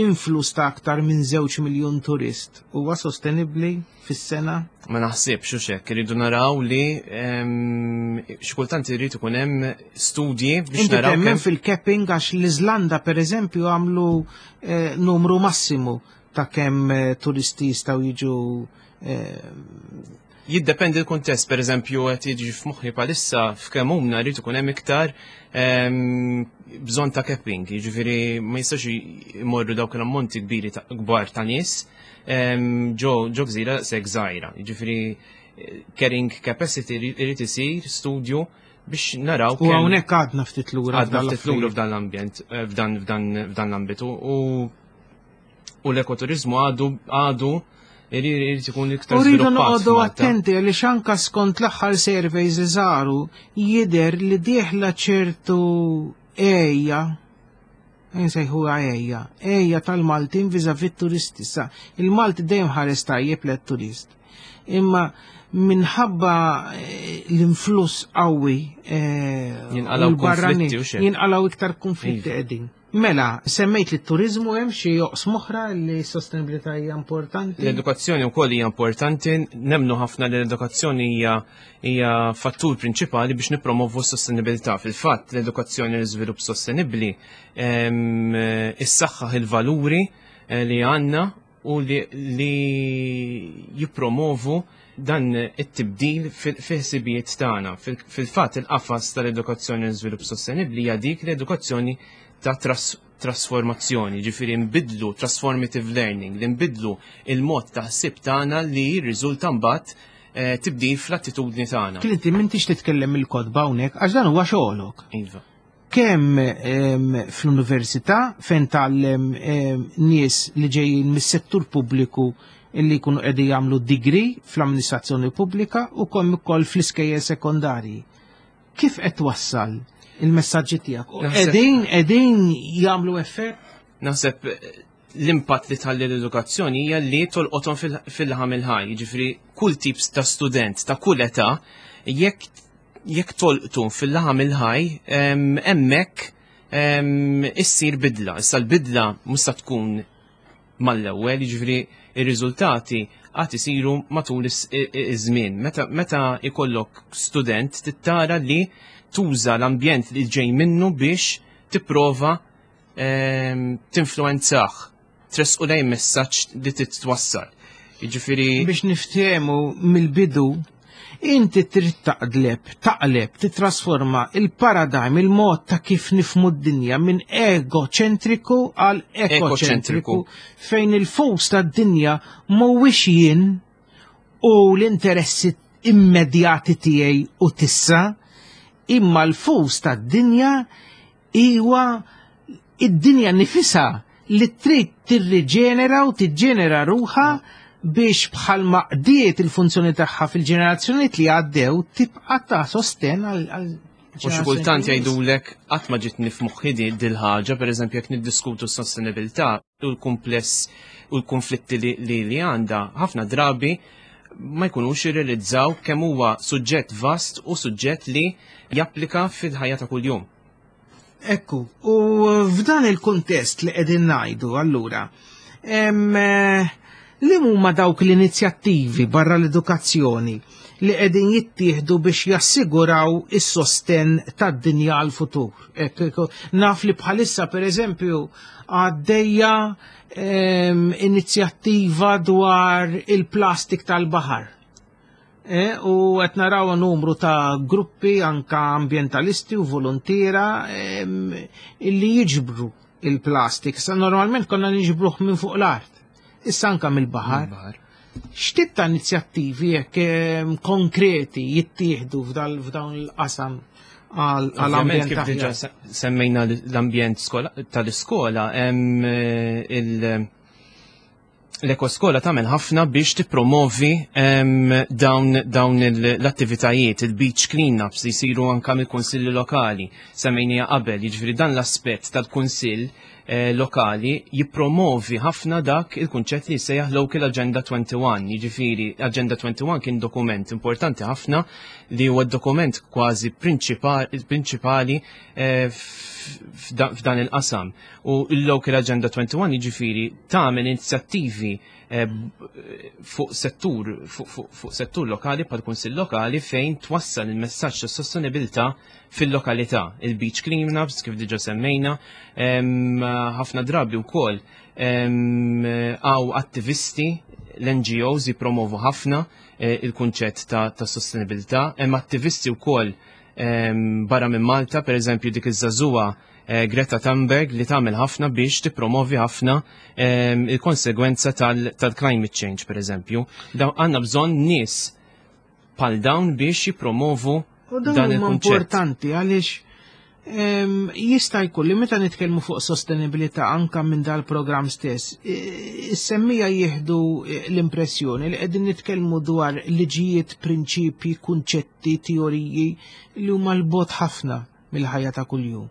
influss ta' aktar minn żewġ miljun turist huwa sostenibbli fis-sena? Ma naħsibx u hekk, irridu naraw li ehm, xi kultant irid ikun hemm studji biex Inti naraw temmen kemm fil-capping? Għax l-Iżlanda, per eżempju, għamlu eh, numru massimu ta' kemm eh, turisti jistgħu jiġu eh, Jiddependi l-kuntest. Per eżempju, qed jiġi f'moħħi bħalissa f'Kemmuna rrid ikun hemm iktar ehm, bżonn ta' capping, jiġifieri ma jistax imorru dawk l-ammonti kbiri ta' kbar ta' nies ehm, ġo ġo gżira sekk żgħira. Jiġifieri eh, carrying capacity irid isir studju biex naraw U kemm- hawnhekk għadna ftit lura. Għadna f'dan ftit lura l-affarijiet. f'dan l-ambjent, eh, f'dan f'dan f'dan l-ambitu u u l-ekoturizmu għadu għadu irid irid ikun iktar U rridu żviluppat noqogħdu f'Malta. attenti għaliex anka skont l-aħħar surveys li saru jidher li dieħla ċertu għeja, nsejħuha għeja, għeja tal-Maltin vis-à-vis turisti. Sa, il-Malti dejjem ħares tajjeb lit-turist. Imma minħabba eh, l-influss qawwi eh, Jinqalgħu u l-barranin, konflitti u xejn. jinqalgħu iktar konflitti Iva. qegħdin. Mela, semmejt li t-turizmu, hemm xi oqsma oħra li s-sostenibilità hija importanti? L-edukazzjoni wkoll hija importanti, nemnu ħafna li l-edukazzjoni hija hija fattur prinċipali biex nippromovu s-sostenibilità. Fil-fatt, l-edukazzjoni u l-iżvilupp sostenibbli ehm, issaħħaħ il-valuri eh, li għandna u li, li jippromovu dan it-tibdil fil-ħsibijiet tagħna. Fil- Fil-fatt, il-qafas tal-edukazzjoni u l-iżvilupp sostenibbli hija dik l-edukazzjoni ta' tras trasformazzjoni, ġifieri nbidlu transformative learning, li nbidlu il-mod ta' ħsib tagħna li jirriżulta mbagħad eh, tibdil fl-attitudni tagħna. Clinton, m'intix titkellem il-kotba hawnhekk għax dan huwa xogħolok. Iva. Kemm em, fl-università fejn tgħallem em, nies li ġejjin mis-settur pubbliku illi jkunu qegħdin jagħmlu degree fl-amministrazzjoni pubblika u kemm ukoll fl-iskejjel sekondarji. Kif qed twassal il-messaġġi tiegħek? U Naħseb- Qegħdin qegħdin jagħmlu effett? Naħseb eh, l-impatt li tħalli l-edukazzjoni hija li tolqothom fil- fil-laħam il-ħaj, ġifieri kull tip ta' student ta' kull età, jekk jekk tolqtu fil-laħam il-ħaj, em, hemmhekk em, issir bidla. Issa l-bidla mhux se tkun mal-ewwel, jiġifieri ir-riżultati għad isiru matul is- i- i- iż-żmien. Meta meta ikollok student tittara li tuża l-ambjent li ġej minnu biex tipprova ehm, tinfluenzah, tressqu lejn messaġġ li titwassal. Jiġifieri Biex niftehmu mill-bidu, inti trid taqleb, taqleb, titrasforma il-paradigm, il-mod ta' kif nifhmu d-dinja minn egoċentriku għal ekoċentriku, Ekoċentriku. fejn il-focus tad-dinja mhuwiex jien u l-interessi immedjati tiegħi u tissa, imma l-focus tad-dinja huwa id-dinja nifisha li trid tirriġenera u tiġġenera ruħha biex bħalma qdiet il-funzjoni tagħha fil-ġenerazzjonijiet li għaddew tibqa' ta' sosten għal għal U xi kultant jgħidulek, qatt ma ġitni f'moħħi di dil-ħaġa, pereżempju jekk niddiskutu s-sostenibilità u l-kumpless u l-konflitti li li, li għandha, ħafna drabi ma jkunux jirrealizzaw kemm huwa suġġett vast u suġġett li japplika fil-ħajja ta' kuljum. Ekku, u f'dan il-kuntest li qegħdin ngħidu allura, em, eh, li huma dawk l-inizjattivi barra l-edukazzjoni li qegħdin jittieħdu biex jassiguraw is-sosten tad-dinja għal-futur. Naf li bħalissa pereżempju għaddejja inizjattiva dwar il-plastik tal-baħar. E, u qed naraw numru ta' gruppi anka ambientalisti u volontiera illi jiġbru il-plastik. Sa normalment konna niġbruh minn fuq l-art. Issa anka mill-baħar. X'tip ta' inizjattivi jekk konkreti jittieħdu f'dawn il-qasam għall-ambjent? Kif diġà semmejna l-ambjent tal-iskola, hemm il- l-ekoskola tagħmel ħafna biex tippromovi dawn dawn l-attivitajiet, il-beach cleanups li jsiru anka mill-kunsilli lokali. Semmejnija qabel, jiġifieri dan l-aspett tal-kunsill eh, lokali jippromovi ħafna dak il-kunċett li jsejjaħ Local Agenda wieħed u għoxrin. Jiġifieri Agenda wieħed u għoxrin kien dokument importanti ħafna li huwa dokument kważi prinċipali eh, f'dan il-qasam. U il-Local Agenda wieħed u għoxrin jiġifieri tagħmel inizjattivi eh, fuq settur fuq settur lokali bħal kunsill lokali fejn twassal il-messaġġ ta' sostenibilità fil-lokalità. Il-beach cleanups kif diġà semmejna, ħafna drabi wkoll hawn attivisti, l-N G Os jipromovu ħafna eh, il-kunċett ta', ta sostenibilità, hemm attivisti wkoll barra minn Malta, per eżempju dik iż-żagħżugħa eh, Greta Thunberg li tagħmel ħafna biex tippromovi ħafna il-konsegwenza tal-climate change, per eżempju. Għandna bżonn nies bħal dawn biex jipromovu dan il-kunċett. Importanti għaliex jista' jkun li meta nitkellmu fuq sostenibilità anka minn dal-programm stess, is-semmiegħa jieħdu l-impressjoni li qegħdin nitkellmu dwar liġijiet, prinċipji, kunċetti, teoriji li huma l-bogħod ħafna mill-ħajja ta' kuljum.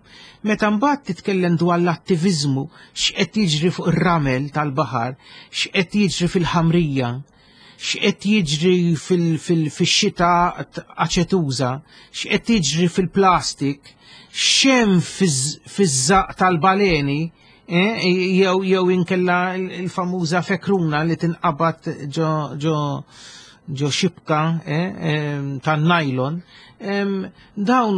Meta mbagħad titkellem dwar l-attiviżmu, x'qed jiġri fuq ir-ramel tal-baħar, x'qed jiġri fil-ħamrija, x'qed jiġri fil-xita aċetuża, x'qed jiġri fil-plastik, x'hemm fiż-żaq tal-baleni, eh, jew jew inkella il-famuża fekruna li tinqabad ġo ġo ġo xibka eh, tan-nylon, dawn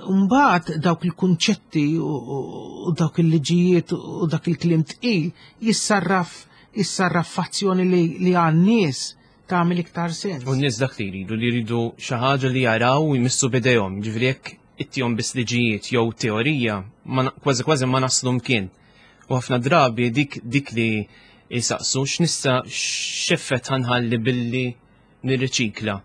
mbagħad dawk il-kunċetti u dawk il-liġijiet u dak il-kliem tqil jissarraf jissarraf f'azzjoni li għan-nies tagħmel iktar sens. U n-nies dak li jridu, li jridu xi ħaġa li jaraw u jmissu b'idejhom, ġifieri jekk ittihom biss liġijiet jew teorija, kważi kważi ma naslu mkien. U ħafna drabi dik dik li jisaqsu: x'nista' x'effett ħa nħalli billi nirriċikla,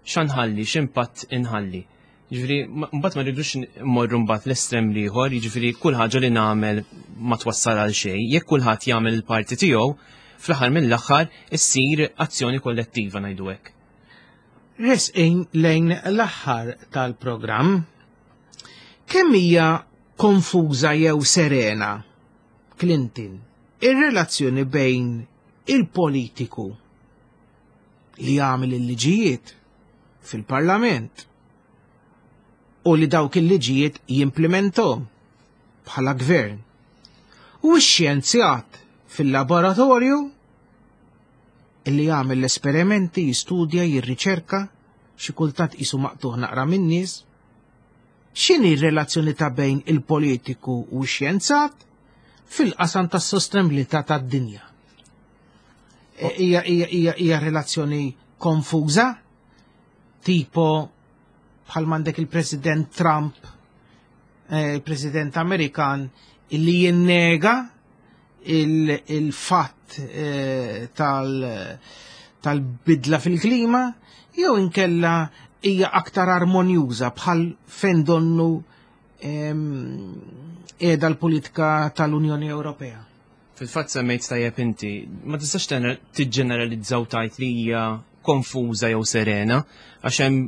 x'ħa nħalli, x'impatt inħalli? Ġifieri, mbagħad ma rridux mmorru mbagħad l-estrem l-ieħor, jiġifieri kull ħaġa li nagħmel ma twassal għal xejn. Jekk kulħadd jagħmel il-parti tiegħu, fl-aħħar mill-aħħar issir azzjoni kollettiva, ngħidu hekk. Resqin lejn l-aħħar tal-programm. Kemm hija konfuża jew serena, Clinton, ir-relazzjoni bejn il-politiku li jagħmel il-liġijiet fil-parlament u li dawk il-liġijiet jimplementom bħala gvern u x-xjenzjat fil-laboratorju illi jagħmel l-esperimenti, jistudja, jirriċerka, xi kultant qisu maqtuħ naqra min-nies? X'inhi r-relazzjoni ta' bejn il-politiku u x-xjenzat fil-qasam tas-sostenibilità tad-dinja? E, hija hija hija hija relazzjoni konfuża, tipo bħal m'għandek il-President Trump, eh, il-President Amerikan, illi jinnega il-fatt eh, tal-bidla fil-klima, jew inkella hija aktar armonjuża bħal fejn donnu qiegħda l-politika tal-Unjoni Ewropea? Fil-fatt semmejt tajjeb inti, ma tistax tiġġeneralizzaw tgħid li hija konfuża jew serena, għax hemm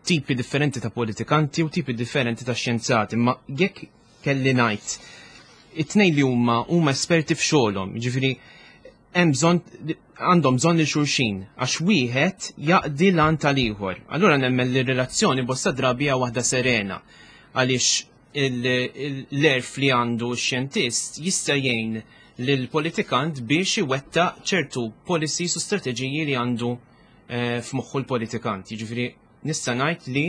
tipi differenti ta' politikanti u tipi differenti ta' xjenzati, ma jekk kelli ngħid, it-tnejn li huma huma esperti f'xogħolhom, jiġifieri hemm bżonn għandhom bżonn lil xulxin għax wieħed jaqdi l tal-ieħor. Allura nemmen li r-relazzjoni bosta drabi hija waħda serena għaliex l-għerf li għandu x-xjentist jista' jgħin lill-politikant biex iwettaq ċertu policies u strateġiji li għandu eh, f'moħħu l-politikant. Jiġifieri nista' ngħid li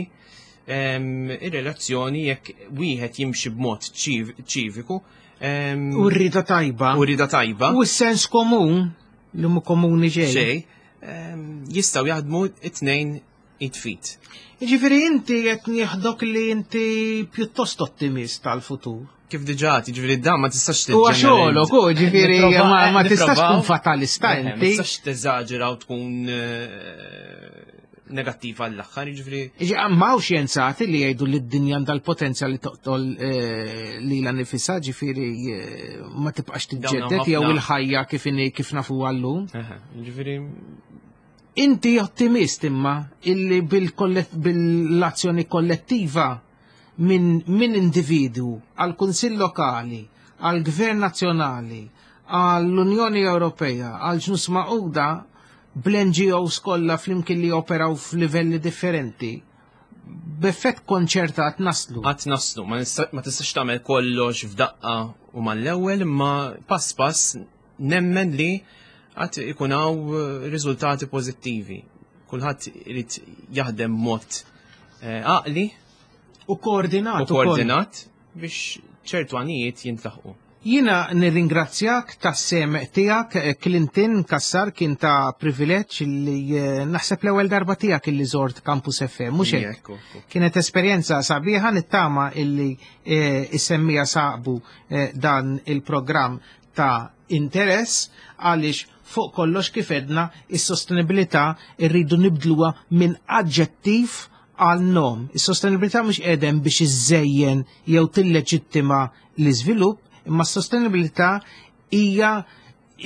ehm, ir-relazzjoni jekk wieħed jimxi b'mod ċiviku ehm, U rrida tajba. U rrida tajba. U s-sens komun li mu komuni ġej. Xej, ehm, jistgħu jaħdmu it-tnejn it-fit. Jiġifieri inti qed nieħdok li inti pjuttost ottimist tal-futur. Kif diġà, jiġifieri dan ma tistax U xogħolok, u ġifieri ma tistax tkun fatalista inti. inti. Ma tistax teżaġera u tkun eh, negattiva għall-aħħar, jiġifieri. Ma hawn xjenzati li jgħidu li d-dinja għandha l-potenzjal li toqtol eh, lilha nifisha, ġifieri eh, ma tibqax tiġġedded jew il-ħajja kif kif nafu għallum. Ġifieri Inti ottimist imma illi bil-azzjoni kollettiva minn min individu għal kunsill lokali, għal gvern nazzjonali, għall-Unjoni Ewropea, għal ġnus Magħquda bl-N G Os kollha flimkien li operaw f'livelli differenti, b'effett konċertat naslu. Għat naslu, ma tistax tagħmel kollox f'daqqa u mal-ewwel, imma pass pass nemmen li għat ikun hawn riżultati pożittivi. Kulħadd irid jaħdem mod għaqli u koordinat u koordinat biex ċertu għanijiet jintlaħqu. Jina nirringrazzjak tas-sem tiegħek, Clinton Cassar, kien ta' privileġġ li naħseb l-ewwel darba tiegħek illi żort Campus F M, mhux hekk? Kienet esperjenza sabiħa, nittama illi issemmija sabu dan il-programm ta' interess, għaliex fuq kollox kif edna is-sostenibilità rridu nibdluha minn aġġettiv għal nom. Is-sostenibilità mhux qegħdem biex iżejjen jew tilleġittima l-iżvilupp, imma s-sostenibilità hija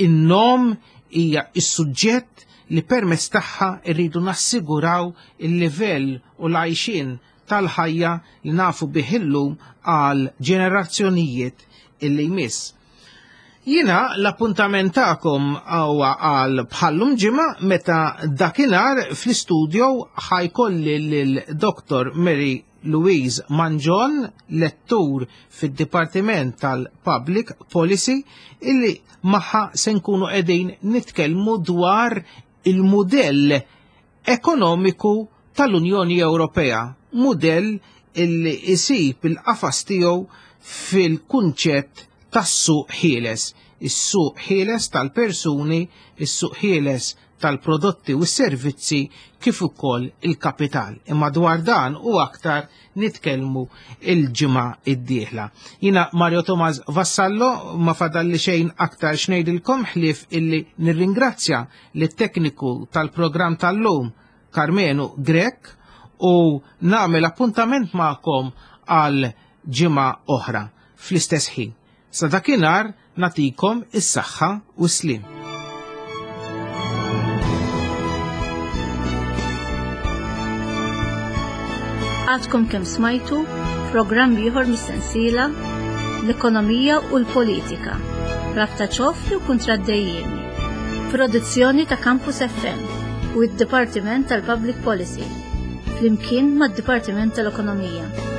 in-nom, hija is-suġġett li permezz tagħha rridu nassiguraw il-livell u l-għajxien tal-ħajja li nafu bih illum għal ġenerazzjonijiet illi jmiss. Jina l-appuntament tagħkom huwa għal bħallum ġimgħa meta dakinhar fl-istudio ħajkolli lil Doktor Mary Louise Mangion, lettur fid-Dipartiment tal-Public Policy, illi magħha se nkunu qegħdin nitkellmu dwar il-mudell ekonomiku tal-Unjoni Ewropea, mudell illi isib il-qafas tiegħu fil-kunċett tas-suq ħieles, is-suq ħieles tal-persuni, is-suq ħieles tal-prodotti u s-servizzi kif ukoll il-kapital. Imma dwar dan u aktar nitkellmu il-ġimgħa d-dieħla. Jina Mario Tomas Vassallo, ma fadalli xejn aktar xnejdilkom ħlief illi nirringrazzja lit-tekniku tal-programm tal-lum Carmenu Grech u nagħmel appuntament magħkom għal ġimgħa oħra fl-istess ħin. Sa dakinhar natikom is-saħħa u s-slim. Għadkom kemm smajtu programm ieħor mis-sensiela L-Ekonomija u l-Politika, rabta ċoff u kontraddejjeni. Produzzjoni ta' Campus F M u d-Dipartiment tal-Public Policy, flimkien mad-Dipartiment tal-Ekonomija.